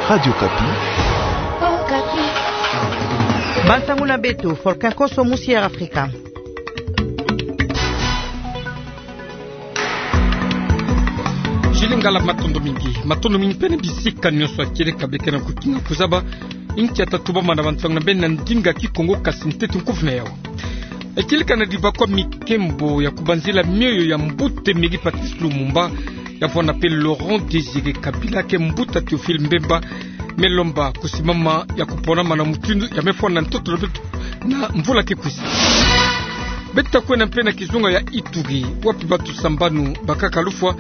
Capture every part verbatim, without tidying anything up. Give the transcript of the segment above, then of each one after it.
Radio Okapi. Bansangu na beto, Volcan Koso, musi Air Afrika. Jili Ngala, matondo mingi. Matondo mingi mpe na bisika nyonso ya kieleka beke na kukinga kuzaba inkia ta tubama na bansangu na beno na ndinga Kikongo, kasi ntete nkufi na yau. Kieleka na dibakwa miki kembo ya kubanzila mioyo ya mbuta Emery Patrice Lumumba, ya vwanda mpe Laurent Désiré Kabila, ke mbuta Théophile Mbemba, me lomba kusimama ya kuponama na mutindu ya me vwanda na ntoto na beto na mvula ke kwisa. Beto ta kwenda mpe na kizunga ya Ituri, wapi bantu sambanu bakaka lufwa,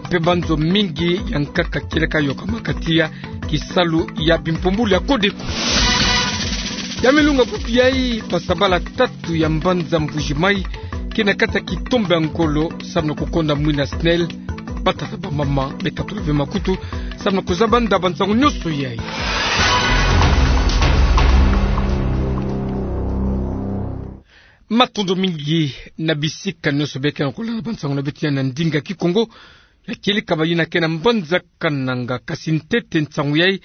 mpe banzo mingi ya nkaka kieleka yokamaka tiya kisalu ya bimpumbulu ya Codeco. Ya milunga bubu yayi, basabala tatu ya mbanza Mbuji-Mayi ke na kati ya kitombe ya ngolo, samu na kukonda mwina SNEL. Batata, bamama, bekatula ve makutu samu na kuzaba nda bansangu nyonso yayi. Matondo mingi na bisika nyonso beke na kulanda bansangu na beto ya na ndinga Kikongo. Ya kieleka bayina ke na mbanza Kananga, kasi ntete nsangu yayi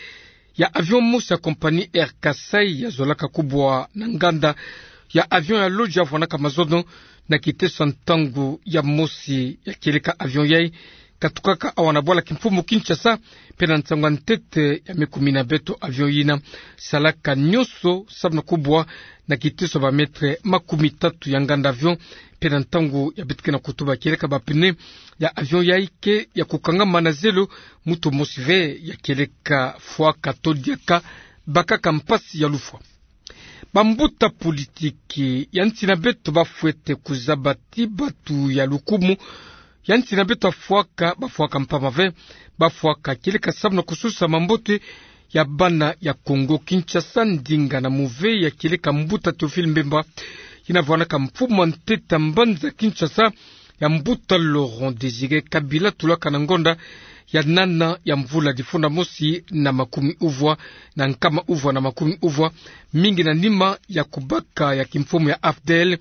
ya avion mosi ya compagnie Air Kasaï ya zolaka kubwa na nganda ya avion ya Lodja vwanaka mazono na kiteso ya ntangu ya mosi. Ya kieleka avion yayi katukaka awa na bwala kimfumu Kinshasa, mpe na nsangu ya ntete ya me kumina beto, avion yina salaka nyonso samu na kubwa na kiteso ba mètre makumi tatu ya nganda avion, mpe na ntangu ya beto ke na kutuba, kieleka ba pneu ya avion yayi ke ya kukangama na zelo, mutu mosi ve ya kieleka fwaka to diaka bakaka mpasi ya lufwa. Bambuta politiki ya nsi na beto bafwete kuzaba ti bantu ya lukumu ya nsi na beto bafwaka, bafwaka mpamba ve, bafwaka kieleka samu na kusosa mambote ya bana ya Kongo. Kinshasa, ndinga na muve ya kieleka mbuta Théophile Mbemba, yina vwanaka mfumu ya ntete ya mbanza Kinshasa, ya mbuta Laurent Désiré Kabila tulaka na ngonda ya nana ya mvula difunda mosi na makumi uvwa na nkama uvwa na makumi uvwa, mingi na nima ya kubaka ya kimfumu ya AFDL,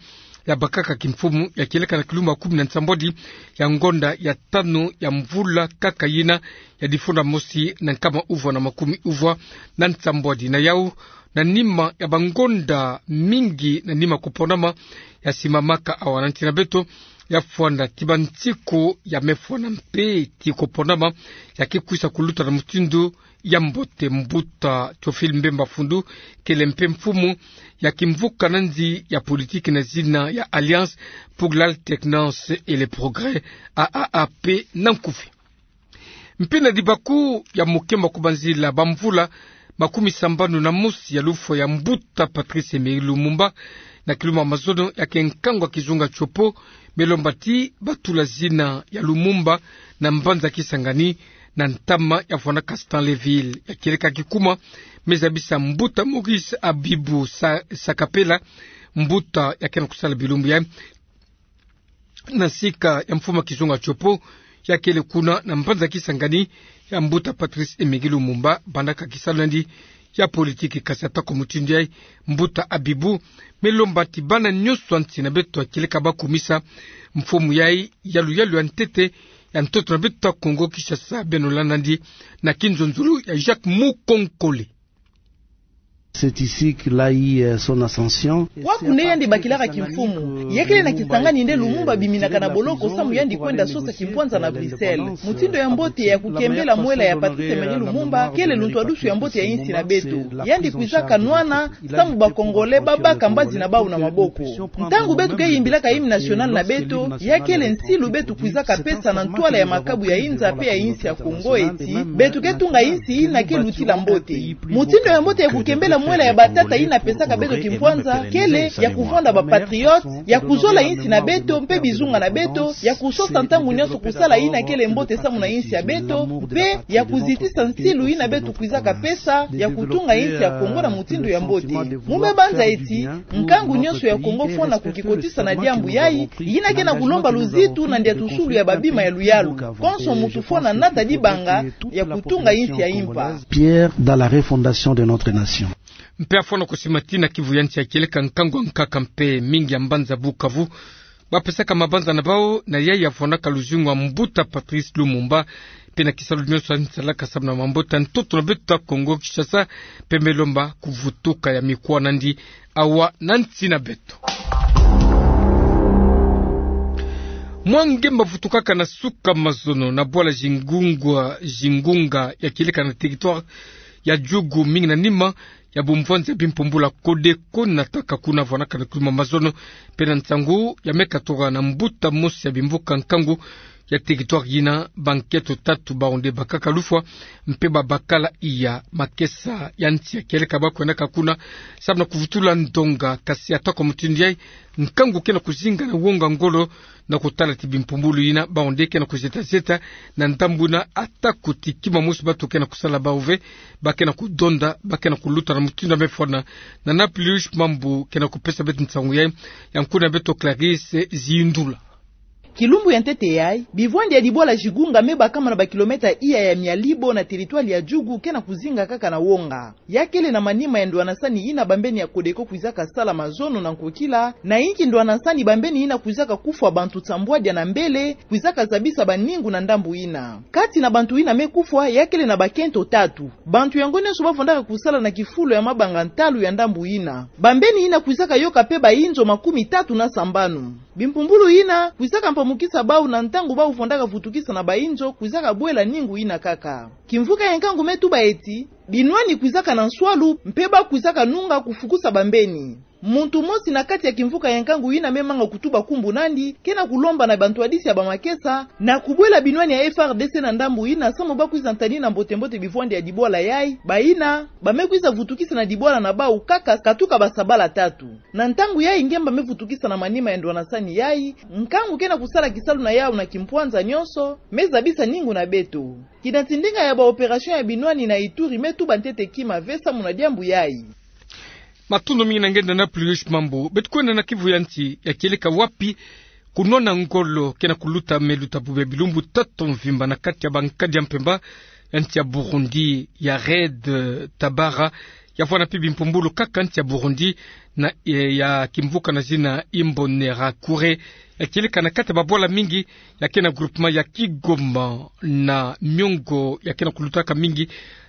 ya bakaka kimfumu ya kieleka na kilumbu kumi na nsambwadi ya ngonda ya tanu ya mvula kaka yina ya difunda mosi na nkama uvwa na makumi uvwa na nsambwadi. Na yau, na nima ya bangonda mingi na nima kuponama ya simamaka awa na nsi na beto, ya vwanda ti bansiku ya me vwanda mpe ti kuponama ya ke kwisa kuluta na mutindu ya mbote. Mbuta Théophile Mbemba Fundu kele mpe mfumu ya kimvuka na nzi ya politiki na zina ya Alliance pour l'Alternance et le Progrès, A A A P na nkufi. Mpe na dibaku ya mukembo kubanzila bamvula makumi sambanu na mosi ya lufwa ya mbuta Patrice Emery Lumumba, na kilumbu mazono ya ke nkangu ya kizunga tiopo, me lomba ti batula zina ya Lumumba na mbanza Kisangani, na ntama ya vwanaka Stanleyville. Ya kieleka kikuma me zabisa mbuta Maurice Abibou Sa-, Sakapela, mbuta ya ke na kusala bilumbu ya na sika ya mfumu ya kizunga tiopo, ya kele kuna na mbanza Kisangani ya mbuta Patrice Emery Lumumba, bandaka kisalu na yandi ya politiki. Kasi ata kua mutindu yayi, mbuta Abibou me lomba ti bana nyonso ya nsi na beto ya kieleka bakumisa mfumu yayi ya luyalu ya ntete ya ntoto na beto ya Kongo Kinshasa, beno landa yandi na kinzonzolo ya Jacques Mukonkole. C'est ici qu'il a eu, euh, son ascension. Kwaku nde yandi bakilaka kimfumu. Ya kele na Kisangani nde Lumumba abiminaka na boloko samu yandi kwenda sosa kimpwanza na Bruxelles. Mutindu ya mbote ya kukembela mwela ya Patrice Emery Lumumba kele luntwadusu ya mbote ya insi na beto. Yandi kwizaka nwana samu ba Congolais babaka mbazi na bawu na maboko. Ntangu beto ke yimbilaka hymne national na beto, ya kele nsilu beto kwizaka pesa na ntwala ya makabu ya inza mpe ya insi ya Kongo, eti beto ke tunga insi yina ke lutila mbote. Mutindu ya mbote ya kukembela mwela ya batata yina pesaka beto kimpwanza kele ya kuvwanda ba patriotes, ya kuzola insi na beto mpe bizunga na beto, ya kusosa ntangu nyonso kusala yina kele mbote samu na insi ya beto, mpe ya kuzitisa nsilu yina beto kwizaka pesa ya kutunga insi ya Kongo na mutindu ya mbote. Mu me banza eti nkangu nyonso ya Kongo fwana kukikotisa na diambu yayi, yina ke na kulomba luzitu na ndiatusulu ya babima ya luyalu. Konso muntu fwana nata dibanga ya kutunga insi ya impa. Pierre dans la refondation de notre nation. Mpe afwana kusima ti na kivu ya nsi ya kieleka nkangu ankaka mpe mingi ya mbanza Bukavu bapesaka mabanza na bawu na yayi ya fwanaka luzingu ya mbuta Patrice Lumumba, mpe na kisalu nyonso yandi salaka samu na mambota ya ntoto na beto ya Kongo Kinshasa, mpe me lomba kuvutuka ya mikuwa na yandi awa na nsi na beto. Mwa ngemba vutukaka na suka mazono na bwala Zingunga, Zingunga ya kieleka na territoire ya Djugu, mingi na nima ya bumvwanzi ya bimpumbulu ya Codeco, nataka kuna vwanaka na kuluma mazono, mpe na nsangu ya me katuka na mbuta mosi ya bimvuka nkangu ya territoire yina, bankento tatu bawu nde bakaka lufwa, mpe babakala iya makesa ya nsi ya kieleka ba kwendaka kuna samu na kuvutula ndonga, kasi atako mutindu yayi, nkangu ke na kuzinga na wonga ngolo, na kutala ti bimpumbulu yina bawu nde ke na kuzeta-zeta na ndambu yina, atako ti kima mosi batu ke na kusala bawu ve, ba ke na kudonda, ba ke na kuluta na mutindu ya me fwana. Na Naplius Mambu ke na kupesa beto nsangu yayi, ya nkuna beto Clarisse Zindula. Kilumbu ya ntete yayi, bivwandi ya dibwala Zingunga me bakama na bakilomètre iya ya mia libo na territoire ya Djugu ke na kuzinga kaka na wonga. Ya kele na manima ya ndwanasani yina bambeni ya Codeco kwizaka sala mazono na nkokila, na yinki ndwanasani bambeni yina kwizaka kufwa bantu nsambwadia na mbele, kwizaka zabisa baningu na ndambu yina. Kati na bantu yina me kufwa, ya kele na bakento tatu. Bantu yango nyonso bavwandaka kusala na kifulu ya mabanga ntalu ya ndambu yina. Bambeni yina kwizaka yoka mpe bayinzo makumi tatu na sambanu. Bimpumbulu yina kwizaka mpamukisa bawu na ntangu bawu vwandaka vutukisa na bayinzo kwizaka bwela ningu yina kaka. Kimvuka ya nkangu me tuba eti, binwani kwizaka na nswalu, mpe ba kwizaka nunga kufukusa bambeni. Muntu mosi na kati ya kimvuka ya nkangu yina me manga kutuba kumbu na yandi, ke na kulomba na bantwadisi ya bamakesa, na kubwela binwani ya F R D C na ndambu yina, samu ba kwiza ntadina mbote-mbote bivwandi ya dibwala yayi, bayina ba me kwiza vutukisa na dibwala na bawu kaka katuka basabala tatu. Na ntangu yayi ngemba me vutukisa na manima ya ndwanasani yayi, nkangu ke na kusala kisalu na yawu na kimpwanza nyonso, me zabisa ningu na beto. Kina ti ndinga ya ba opération ya binwani na Ituri me tuba ntete kima ve samu na diambu yayi. Matondo mingi na nge na Naplius Mambu. Beto kwenda na Kivu ya nsi ya kieleka wapi kunwana ngolo ke na kuluta, me luta bobia bilumbu tatu mvimba na kati ya bankadi ya mpemba ya nsi ya Burundi, ya Red Tabara, ya vwanda mpe bimpumbulu kaka nsi ya Burundi, na, eh, ya kimvuka na zina Imbonerakure, ya kieleka na kati ya babwala mingi ya ke na groupement ya Kigoma, na miongo ya ke na kulutaka mingi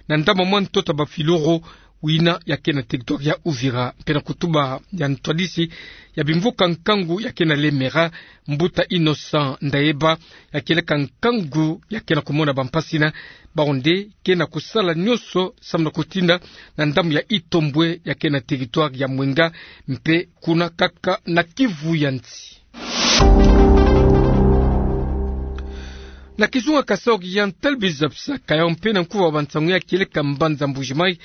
na ndama mwa ntoto ya bafiloro, yina ya ke na territoire ya Uvira, mpe na kutuba ya ntwadisi ya bimvuka nkangu ya ke na Lemera, mbuta Innocent Ndaeba, ya kieleka nkangu ya ke na kumona bampasi na bawu nde ke na kusala nyonso samu na kutinda na ndambu ya Itombwe ya ke na territoire ya Mwenga, mpe kuna kaka na Kivu ya nsi. Na kizunga Kasaï Oriental, bizabisaka yawu mpe na nkuva wa bansangu ya kieleka mbanza Mbuji-Mayi,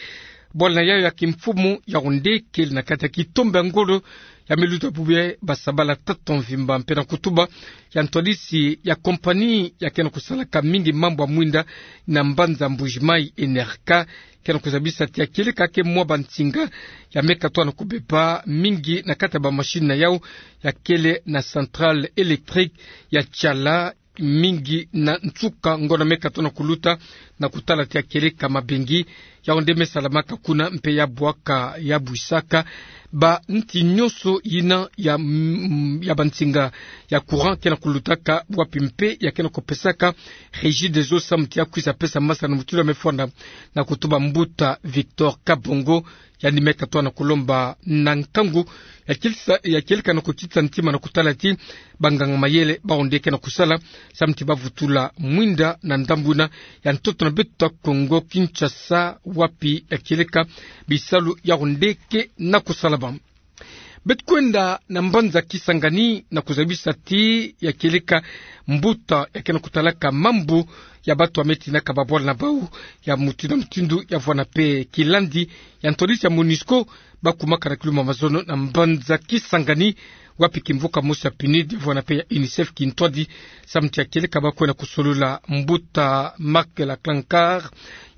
bwala na yawu ya kimfumu yawu nde kele na kati ya kitombe ya ngolo ya me luta bobia basabala tatu mvimba, mpe na kutuba ya ntwadisi ya compagnie ya ke na kusalaka mingi mambu ya mwinda na mbanza Mbuji-Mayi, Enerka, ke na kuzabisa ti ya kieleka ke mwa bansinga ya me katuka na kubeba mingi na kati ya bamachine na yawu, ya kele na centrale électrique ya Tshala, mingi na nsuka ngonda me katuka na kuluta, na kutala ti ya kieleka mabengi yawu nde me salamaka kuna, mpe ya bwaka, ya bwisaka banti nyonso yina ya, mm, ya bansinga ya courant ke na kulutaka wapi, mpe ya ke na kupesaka Regideso samu ti ya kwiza pesa masana na mutindu ya me fwanda, na kutuba mbuta Victor Kabongo, yandi me katuka na kulomba na nkangu ya kieleka, ya kieleka na kukitisa ntima na kutala ti banganga mayele bawu nde ke na kusala samu ti ba vutula mwinda na ndambu yina ya ntoto na beto ya Kongo Kinshasa, wapi ya kieleka bisalu yawu nde ke na kusalama. Beto kwenda na mbanza Kisangani na kuzabisa ti ya kieleka mbuta ya ke na kutalaka mambu ya batu ya me tinaka babwala na bawu ya mutindu na mutindu ya vwanda mpe kilandi ya ntwadisi ya MONUSCO, ba kumaka na kiluma mazono na mbanza Kisangani, wapi kimvuka mosi ya PNUD ya vwanda mpe ya UNICEF kintwadi, samu ti ya kieleka ba kwenda kusolola mbuta Marc Laclancar,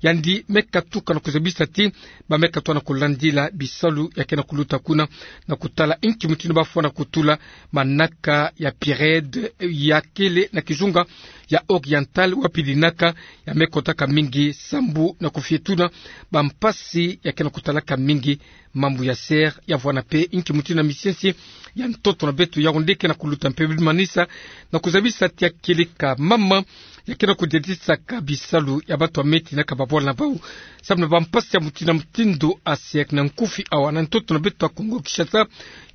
yandi me katuka na kuzabisa ti ba me katuka na kulandila bisalu ya ke na kuluta kuna, na kutala inki mutindu ba fwana kutula manaka ya PIRED ya kele na kizunga ya Oriental, wapi dinaka ya me kotaka mingi sambu na kufietuna bampasi ya ke na kutalaka mingi mambu ya ser. Ya vwana pe nki mutindu na misiensi ya ntoto na beto ya onde ke na kuluta mpe bimanisa na kuzabisa tia kieleka mama ya ke na kudiadisaka bisalu ya bato ya me tinaka babwala na bau sambu na bampasi ya mutindu na mutindu. Aser na nkufi awa na ntoto na beto ya Kongo Kinshasa,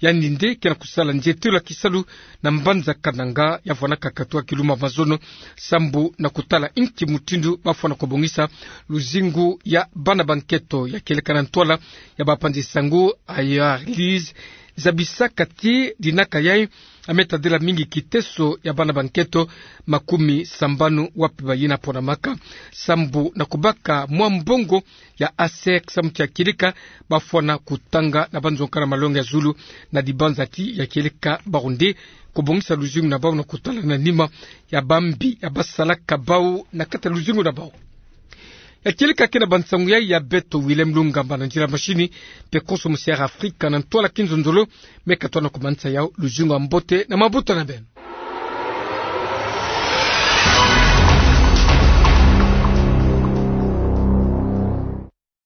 yandi nde ke na kusala nzietelo ya kisalu na mbanza Kananga, ya vwanaka katwa kiluma mazono sambu na kutala nki mutindu bafwana kubongisa luzingu ya bana ba nketo. Ya kieleka na ntwala ya bapanzi sango, Ayer Lise zabisaka ti dinaka yai ya me tadila mingi kiteso ya bana ba nketo makumi sambanu wapi bayina ponamaka sambu na kubaka mwa mbongo ya aser samu ti ya kieleka bafwana kutanga na banzonga na malongi ya zulu, na dibanza ti ya kieleka bawu nde kubongisa luzingu na bawu na kutala na nima ya bambi ya basalaka bawu na kati ya luzingu na bawu. Ya kieleka ke na bansangu yai ya beto, Willem Lungamba na nzila machine, mpe konso musi Air Afrika na ntwala kinzonzolo me katwa na kumanisa yau luzingu ya mbote na mabuta na beno.